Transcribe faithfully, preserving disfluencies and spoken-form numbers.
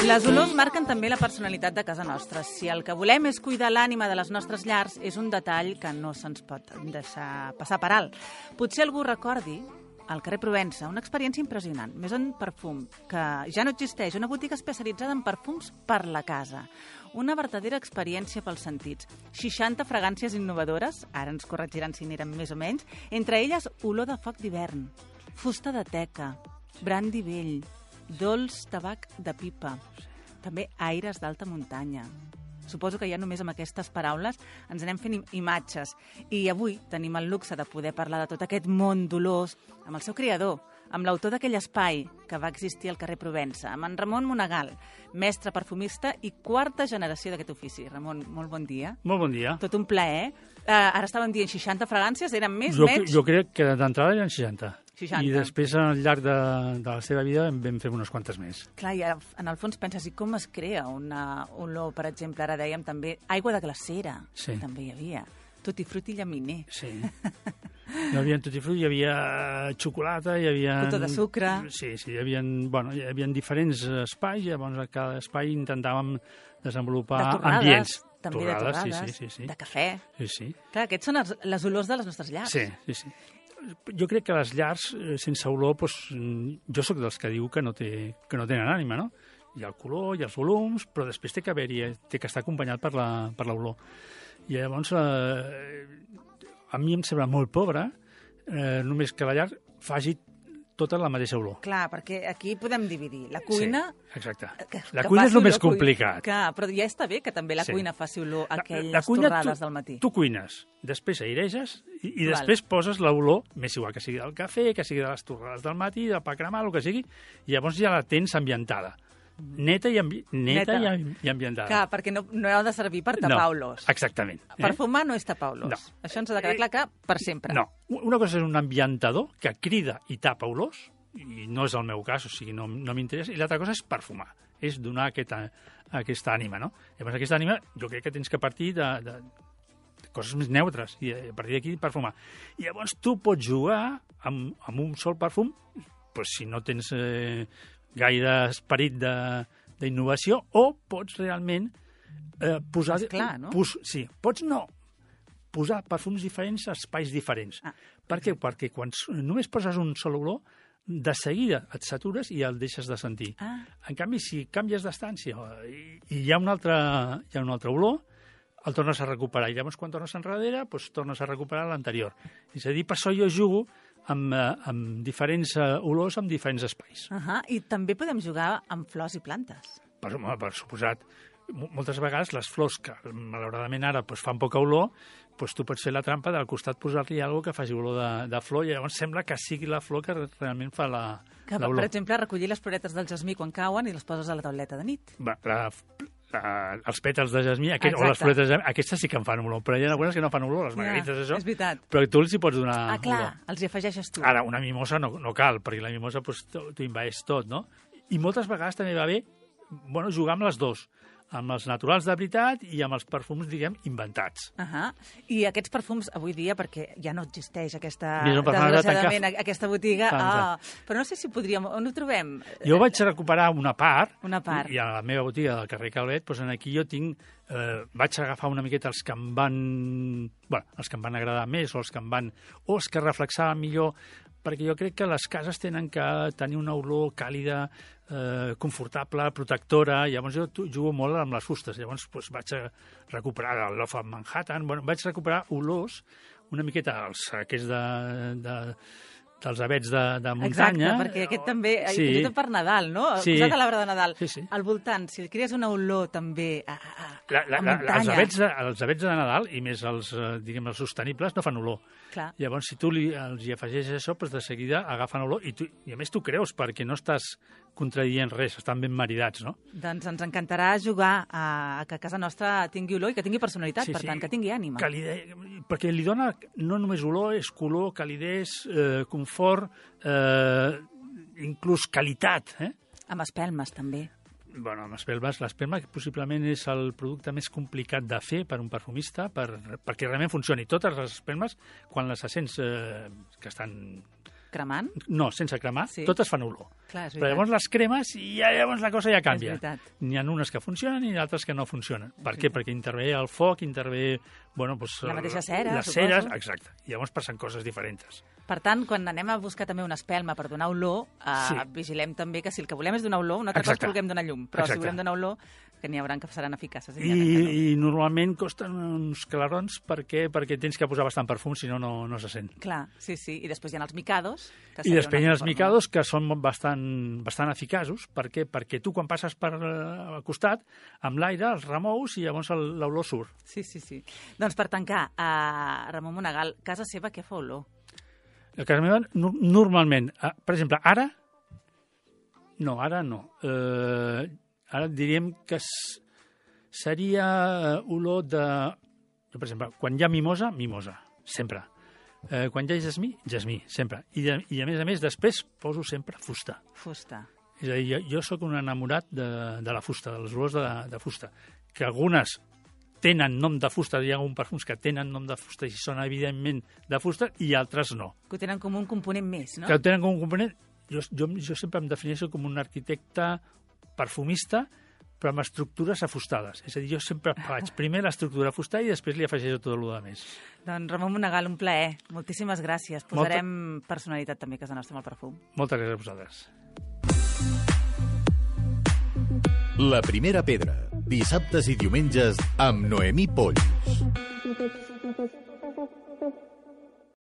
Les olors marquen també la personalitat de casa nostra. Si el que volem és cuidar l'ànima de les nostres llars, és un detall que no se'ns pot deixar passar per alt. Potser algú recordi al carrer Provença una experiència impressionant, més en perfum, que ja no existeix, una botiga especialitzada en perfums per la casa. Una verdadera experiència pels sentits. seixanta fragàncies innovadores, ara ens corregiran si n'eren més o menys, entre elles olor de foc d'hivern, fusta de teca, brandi vell, dolç tabac de pipa, també aires d'alta muntanya. Suposo que ja només amb aquestes paraules ens anem fent imatges. I avui tenim el luxe de poder parlar de tot aquest món d'olors amb el seu creador, amb l'autor d'aquell espai que va existir al carrer Provença, amb en Ramon Monegal, mestre perfumista i quarta generació d'aquest ofici. Ramon, molt bon dia. Molt bon dia. Tot un plaer. Uh, ara estàvem dient seixanta fragàncies, eren més, jo, menys? Jo crec que d'entrada eren seixanta. seixanta. I després, al llarg de, de la seva vida, en vam fer unes quantes més. Clar, i ara, en el fons penses, i com es crea una olor, per exemple, ara dèiem també, aigua de glacera, sí. També hi havia, tutti frutti llaminer. Sí. Hi havia tutti frutti, hi havia xocolata, hi havia... Cotó de sucre. Sí, sí, hi havia, bueno, hi havia diferents espais, i llavors a cada espai intentàvem desenvolupar de torrades, ambients. També torrades, de torrades, sí, sí, sí, sí. de cafè. Sí, sí. Clar, aquests són els, les olors de les nostres llars. Sí, sí, sí. Jo crec que les llars sense olor, doncs, jo sóc dels que diu que no, té, que no tenen ànima, no? Hi ha el color, hi ha els volums, però després té que haver-hi, té que estar acompanyat per la, per l'olor. I llavors, eh, a mi em sembla molt pobre eh, només que la llar faci tota la mateixa olor. Clar, perquè aquí podem dividir. La cuina... Sí, exacte. Que, la que cuina és el més olor, complicat. Clar, però ja està bé que també la sí. cuina faci olor a aquelles la, la cuina, torrades tu, del matí. Tu cuines, després aireges i, i Val. després poses l'olor, més igual que sigui del cafè, que sigui de les torrades del matí, del pa cremat, el que sigui, i llavors ja la tens ambientada. Neta, i, ambi neta, neta. I, i ambientada. Clar, perquè no, no ha de servir per tapar no, olors. Exactament. Eh? Perfumar no és tapar olors. No. Això ens ha de quedar clar que per sempre. No. Una cosa és un ambientador que crida i tapa olors, i no és el meu cas, o sigui, no, no m'interessa, i l'altra cosa és perfumar, és donar aquesta, aquesta ànima, no? Llavors, aquesta ànima jo crec que tens que partir de, de, de coses més neutres, i a partir d'aquí perfumar. I llavors tu pots jugar amb, amb un sol perfum, doncs, si no tens eh, gaire esperit d'innovació, o pots realment eh, posar... És clar, no? Pos, sí, pots no, posar perfums diferents a espais diferents. Ah. Per què? Perquè quan només poses un sol olor, de seguida et satures i el deixes de sentir. Ah. En canvi, si canvies d'estància i, i hi ha una altra, hi ha una altra olor, el tornes a recuperar. I llavors, quan tornes enrere, doncs, tornes a recuperar l'anterior. És a dir, per això jo jugo amb, amb diferents olors, amb diferents espais. Uh -huh. I també podem jugar amb flors i plantes. Per, per suposat. Moltes vegades les flors, que malauradament ara doncs, fan poca olor, doncs tu pots fer la trampa del costat posar-li alguna que faci olor de, de flor i llavors sembla que sigui la flor que realment fa la, que, l'olor. Per exemple, recollir les floretes del jasmí quan cauen i les poses a la tauleta de nit. Va, la, la, els pètals de jasmí, aquest, o les floretes de jasmí, aquestes sí que en fan olor, però hi ha algunes que no fan olor, les margarites, ja, això. És veritat. Però tu els hi pots donar Ah, clar, olor. els hi afegeixes tu. Ara, una mimosa no, no cal, perquè la mimosa doncs, t'ho envaeix tot, no? I moltes vegades també va bé bueno, jugar amb les dos, amb els naturals de veritat i amb els perfums, diguem, inventats. Uh -huh. I aquests perfums, avui dia, perquè ja no existeix aquesta, no, desgraciadament, aquesta botiga, ah, però no sé si podríem, on ho trobem? Jo vaig recuperar una part, una part. I a la meva botiga del carrer Calvet, doncs aquí jo tinc, eh, vaig agafar una miqueta els que em van, bueno, els que em van agradar més, o els que em van, o els que reflexaven millor, perquè jo crec que les cases tenen que tenir una olor càlida, eh, confortable, protectora, i llavors jo jugo molt amb les fustes, llavors doncs, vaig a recuperar el Love of Manhattan, bueno, vaig recuperar olors una miqueta els aquests de, de, dels avets de, de muntanya. Exacte, perquè aquest també, sí. fins i tot per Nadal, no? Sí. Posat a l'arbre de Nadal. Sí, sí. Al voltant, si crees una olor també a, a, la, la, a la, muntanya... Els avets, de, els avets de Nadal, i més els, diguem, els sostenibles, no fan olor. Clar. Llavors, si tu li, els hi afegeixes això, doncs de seguida agafen olor, i, tu, i a més tu creus, perquè no estàs contradient res, estan ben maridats, no? Doncs ens encantarà jugar a, a que casa nostra tingui olor i que tingui personalitat, sí, per sí. tant, que tingui ànima. Calide... Perquè li dona no només olor, és color, calidesa, eh, confort, eh, inclús qualitat, eh? Amb espelmes, també. Bueno, amb espelmes, l'espelma possiblement és el producte més complicat de fer per un perfumista, per, perquè realment funcioni. Totes les espelmes, quan les sents eh, que estan Cremant? No, sense cremar, Sí. totes fan olor. Clar, és Però veritat. llavors les cremes i ja, llavors la cosa ja canvia. És veritat. N'hi ha unes que funcionen i d'altres que no funcionen. Per què? Perquè intervé el foc, intervé... Bueno, doncs, La mateixa cera, les suposo. ceres, exacte. I llavors passen coses diferents. Per tant, quan anem a buscar també una espelma per donar olor, eh, Sí. vigilem també que si el que volem és donar olor, una altra cosa és Exacte. que vulguem donar llum, però Exacte. si volem donar olor, que n'hi haurà que seran eficaces. I, n'hi haurà que no. I normalment costen uns clarons perquè, perquè tens que posar bastant perfum, si no, no, no se sent. Clar, sí, sí. I després hi ha els micados. Que I seria després hi una ha els forma. micados que són bastant, bastant eficaços. Per què? Perquè tu, quan passes per eh, al costat, amb l'aire els remous i llavors el- l'olor surt. Sí, sí, sí. Doncs per tancar, a Ramon Monegal, casa seva què fa olor? A casa meva, no, normalment, eh, per exemple, ara, no, ara no. Eh, ara diríem que s- seria eh, olor de... Jo, per exemple, quan hi ha mimosa, mimosa, sempre. Eh, quan hi ha jasmí, jasmí, sempre. I, de, I a més a més, després poso sempre fusta. Fusta. És a dir, jo, jo sóc un enamorat de, de la fusta, de les olors de, de fusta, que algunes tenen nom de fusta, hi ha alguns perfums que tenen nom de fusta i són evidentment de fusta, i altres no. Que ho tenen com un component més, no? Que ho tenen com un component... Jo, jo, jo sempre em defineixo com un arquitecte perfumista, però amb estructures afustades. És a dir, jo sempre faig primer l'estructura afustada i després li afegeixo tot el de més. Doncs Ramon Monegal, un plaer. Moltíssimes gràcies. Posarem Molta... personalitat també a casa nostra amb el perfum. Moltes gràcies a vosaltres. La primera pedra, dissabtes i diumenges amb Noemí Polls.